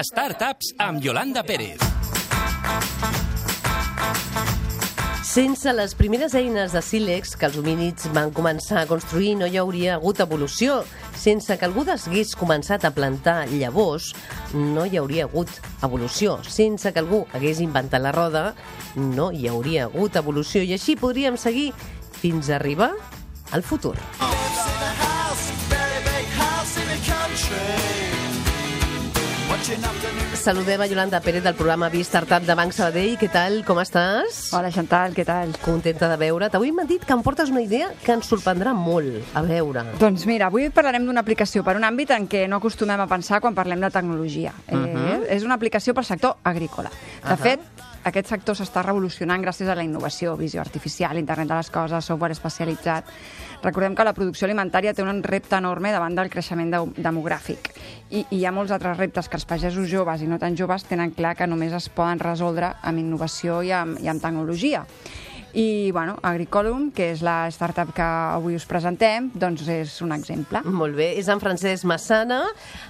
Startups amb Yolanda Pérez. Sense les primeres eines de sílex que els homínids van començar a construir no hi hauria hagut evolució. Sense que algú hagués començat a plantar llavors no hi hauria hagut evolució. Sense que algú hagués inventat la roda no hi hauria hagut evolució. I així podríem seguir fins a arribar al futur. Saludem a Yolanda Pérez del programa Startup de Banc Sabadell. Què tal? Com estàs? Hola, Chantal, què tal? Contenta de veure't. Avui m'han dit que em portes una idea que ens sorprendrà molt. A veure. Doncs mira, avui parlarem d'una aplicació per un àmbit en què no acostumem a pensar quan parlem de tecnologia. És una aplicació pel sector agrícola. De fet, aquest sector s'està revolucionant gràcies a la innovació, visió artificial, internet de les coses, software especialitzat. Recordem que la producció alimentària té un repte enorme davant del creixement demogràfic. I hi ha molts altres reptes que els pagesos joves i no tan joves tenen clar que només es poden resoldre amb innovació i amb tecnologia. I, bueno, Agricolum, que és la startup que avui us presentem, doncs és un exemple. Molt bé. És en Francesc Massana.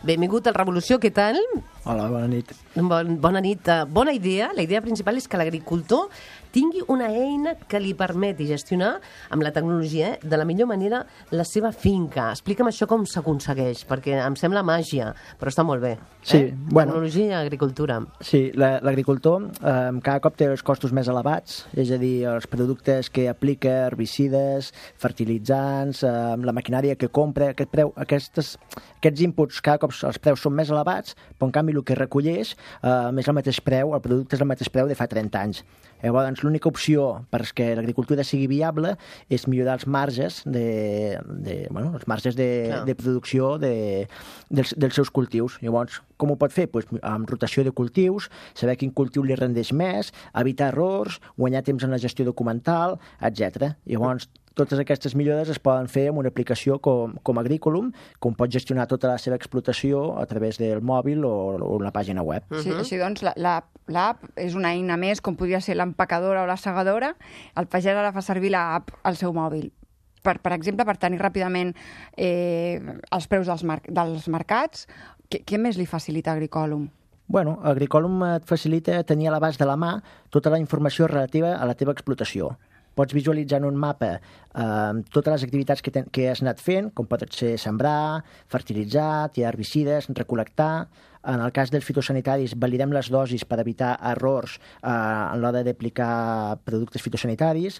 Benvingut al Revolució. Què tal? Hola, bona nit. Bona nit. Bona idea. La idea principal és que l'agricultor tingui una eina que li permeti gestionar amb la tecnologia de la millor manera la seva finca. Explica'm això com s'aconsegueix, perquè em sembla màgia, però està molt bé. Sí, bueno. Tecnologia i agricultura. Sí, l'agricultor cada cop té els costos més elevats, és a dir, els productes que aplica, herbicides, fertilitzants, la maquinària que compra, aquests inputs cada cop els preus són més elevats, però en canvi el que recolleix és el mateix preu, el producte és el mateix preu de fa 30 anys. Llavors, l'única opció perquè l'agricultura sigui viable és millorar els marges de producció dels seus cultius. Llavors, com ho pot fer? Pues, amb rotació de cultius, saber quin cultiu li rendeix més, evitar errors, guanyar temps en la gestió documental, etc. Llavors, totes aquestes millores es poden fer amb una aplicació com Agricolum, com pot gestionar tota la seva explotació a través del mòbil o una pàgina web. Sí, així doncs, l'app és una eina més, com podria ser l'empacadora o la segadora. El pagès ara fa servir l'app al seu mòbil. Per exemple, per tenir ràpidament els preus dels mercats. Què més li facilita Agricolum? Bueno, Agricolum et facilita tenir a l'abast de la mà tota la informació relativa a la teva explotació. Pots visualitzar en un mapa totes les activitats que has anat fent, com pot ser sembrar, fertilitzar, tirar herbicides, recol·lectar. En el cas dels fitosanitaris, validem les dosis per evitar errors a l'hora d'aplicar productes fitosanitaris.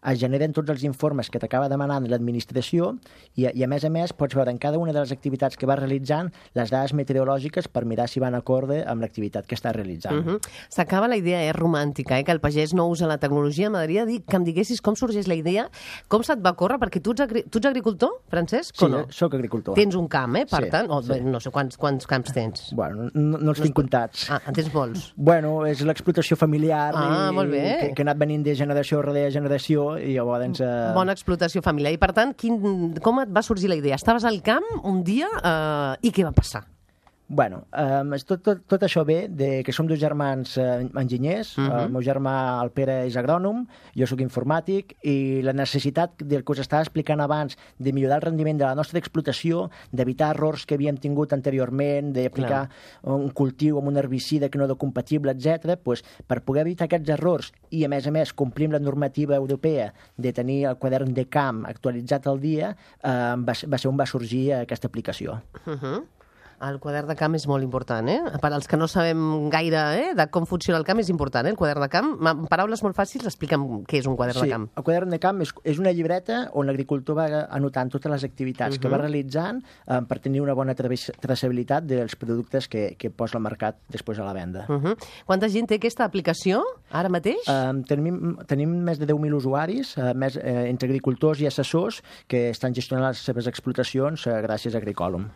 Es generen tots els informes que t'acaba demanant l'administració i a més pots veure en cada una de les activitats que vas realitzant les dades meteorològiques per mirar si van acorde amb l'activitat que estàs realitzant. S'acaba la idea, romàntica, que el pagès no usa la tecnologia. M'agradaria dir que em diguessis com sorgeix la idea, com se't va córrer, perquè tu ets agricultor, Francesc, o no? Sí, soc agricultor. Tens un camp, per sí, tant? Sí. No sé quants camps tens. Bueno, no els tinc comptats. En tens molts? Bueno, és l'explotació familiar molt bé. Que ha anat venint de generació rere generació i llavors... Bona explotació familiar. I per tant, com et va sorgir la idea? Estaves al camp un dia i què va passar? Bueno, tot això ve de que som dos germans enginyers. El meu germà, el Pere, és agrònom, jo sóc informàtic, i la necessitat del que us estava explicant abans de millorar el rendiment de la nostra explotació, d'evitar errors que havíem tingut anteriorment, d'aplicar un cultiu amb un herbicida que no era compatible, etc. Pues, per poder evitar aquests errors i, a més, complir amb la normativa europea de tenir el quadern de camp actualitzat al dia, va ser on va sorgir aquesta aplicació. El quadern de camp és molt important, Per als que no sabem gaire de com funciona el camp, és important, el quadern de camp. En paraules molt fàcils, explica'm què és un quadern de camp. Sí, el quadern de camp és una llibreta on l'agricultor va anotant totes les activitats que va realitzant per tenir una bona traçabilitat dels productes que posa al mercat després a la venda. Quanta gent té aquesta aplicació ara mateix? Tenim més de 10.000 usuaris, entre agricultors i assessors que estan gestionant les seves explotacions gràcies a Agricolum.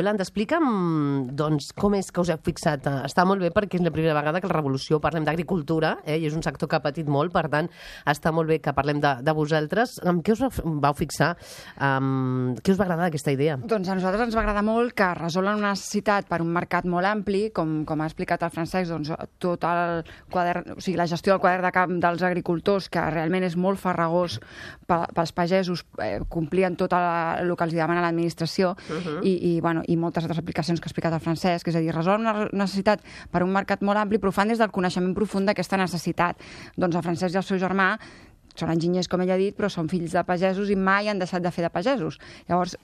Yolanda, explica'm doncs, com és que us heu fixat. Està molt bé perquè és la primera vegada que a la Revolució parlem d'agricultura, i és un sector que ha patit molt, per tant, està molt bé que parlem de vosaltres. Amb què us vau fixar? Què us va agradar d'aquesta idea? Doncs a nosaltres ens va agradar molt que resolen una necessitat per un mercat molt ampli, com ha explicat el Francesc, doncs, tot el quadern, o sigui, la gestió del quadern de camp dels agricultors, que realment és molt farragós pels pagesos, complien tot el que els demana l'administració, i i moltes altres aplicacions que ha explicat el Francesc, és a dir, resol una necessitat per un mercat molt ampli, però ho fan des del coneixement profund d'aquesta necessitat. Doncs el Francesc i el seu germà són enginyers, com ell ha dit, però són fills de pagesos i mai han deixat de fer de pagesos. Llavors,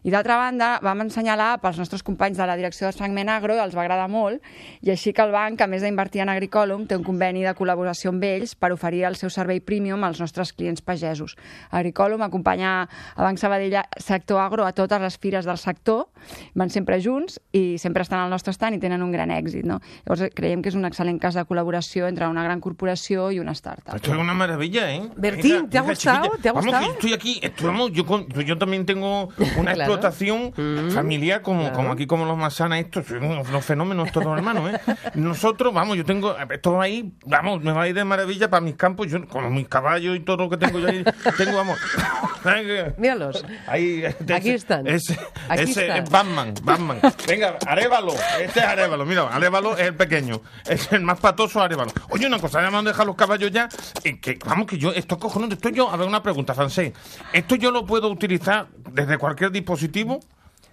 i d'altra banda, vam assenyalar pels nostres companys de la direcció de Fragment Agro, els va agradar molt, i així que el banc, a més d'invertir en Agricolum, té un conveni de col·laboració amb ells per oferir el seu servei premium als nostres clients pagesos. Agricolum acompanya a Banc Sabadell Sector Agro a totes les fires del sector, van sempre junts i sempre estan al nostre stand i tenen un gran èxit, no? Llavors, creiem que és un excel·lent cas de col·laboració entre una gran corporació i una startup. Esto es una maravilla, ¿eh? Bertín, ¿te ha gustado? Chiquilla. ¿Te ha Vamos, gustado? que estoy aquí, yo también tengo una Claro. explotación familiar como aquí, como los Masana, estos son unos fenómenos todos, hermanos, ¿eh? Nosotros, vamos, yo tengo todo ahí, vamos, me va a ir de maravilla para mis campos, yo con mis caballos y todo lo que tengo yo ahí, tengo, vamos. Míralos. Ahí, Aquí están. Ese Aquí es están. Batman. Venga, Arévalo. Este es Arévalo. Mira, Arévalo es el pequeño. Es el más patoso, Arévalo. Oye, una cosa, ya me han dejado los caballos ya. Que, vamos, que yo, esto cojonudo, esto yo, a ver, una pregunta, Francés. ¿Esto yo lo puedo utilizar desde cualquier dispositivo?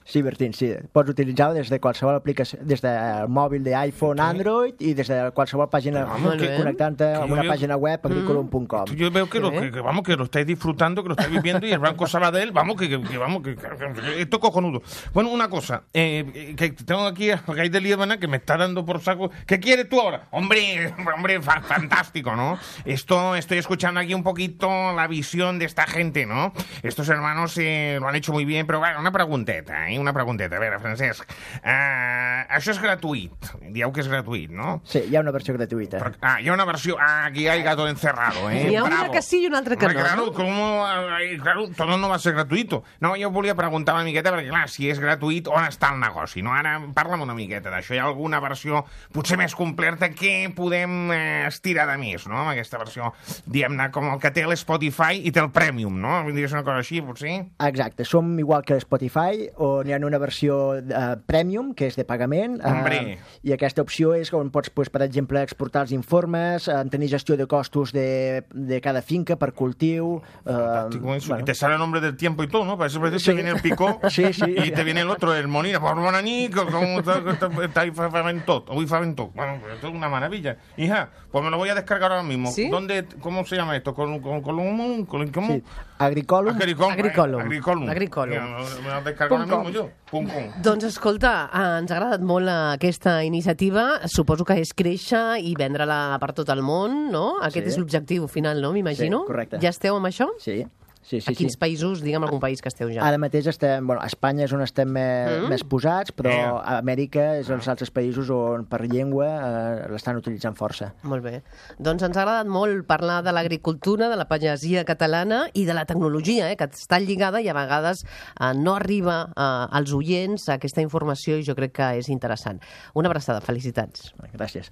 Sí, Bertín, sí. Pots utilitzar-ho des de qualsevol aplicació, des del mòbil d'iPhone, Android i des de qualsevol pàgina Vamos, que- connectant-te amb una yo- pàgina web, agriculum.com. Yo veo que, vamos, que lo estáis disfrutando, que lo estáis viviendo y el Banco Sabadell, vamos, que esto es cojonudo. Bueno, una cosa, que tengo aquí a Gay de Líbana que me está dando por saco. ¿Qué quieres tú ahora? Hombre, fantástico, ¿no? Estoy escuchando aquí un poquito la visión de esta gente, ¿no? Estos hermanos lo han hecho muy bien, pero bueno, una pregunteta, ¿eh? Una pregunteta. A veure, Francesc, això és gratuït. Dieu que és gratuït, no? Sí, hi ha una versió gratuïta. Hi ha una versió... aquí hay gato encerrado, ¿eh? Hi ha una Bravo. que sí i una altra que Hombre, no. claro, no? claro, todo no va a ser gratuito. No, jo volia preguntar una miqueta, perquè clar, si és gratuït, on està el negoci? No? Ara parla'm una miqueta d'això. Hi ha alguna versió potser més completa que podem estirar de més, no? Amb aquesta versió, diguem-ne, com el que té l'Spotify i té el Premium, no? Vindria a ser una cosa així, potser? Exacte, som igual que Spotify, on hi ha una versió Premium, que és de pagament, Hombre. i aquesta opció és on pots, pues, per exemple, exportar els informes, tenir gestió de costos de cada finca per cultiu... Fantástico eso. bueno. Y te sale el nombre del tiempo y todo, ¿no? Para eso te Sí. viene el picó Sí, sí. y te viene el otro, el Monina. Por Bonaní, como está ahí Faventot. Uy, Faventot. Bueno, pues esto es una maravilla. Hija, pues me lo voy a descargar ahora mismo. ¿Sí? ¿Cómo se llama esto? ¿Cómo? Sí. Agricolum. Agricolum. Me lo descargo ahora mismo yo. Pum, pum. Doncs escolta, ens ha agradat molt aquesta iniciativa. Suposo que és créixer i vendre-la per tot el món, no? Aquest Sí. és l'objectiu final, no? M'imagino. Sí, correcte. Ja esteu amb això? Sí, sí, sí. A quins sí. països, digue'm algun país que esteu ja? Ara mateix estem... Bueno, a Espanya és on estem més posats, però a Amèrica és els altres països on per llengua l'estan utilitzant força. Molt bé. Doncs ens ha agradat molt parlar de l'agricultura, de la pagesia catalana i de la tecnologia, que està lligada i a vegades no arriba als oients aquesta informació i jo crec que és interessant. Una abraçada, felicitats. Gràcies.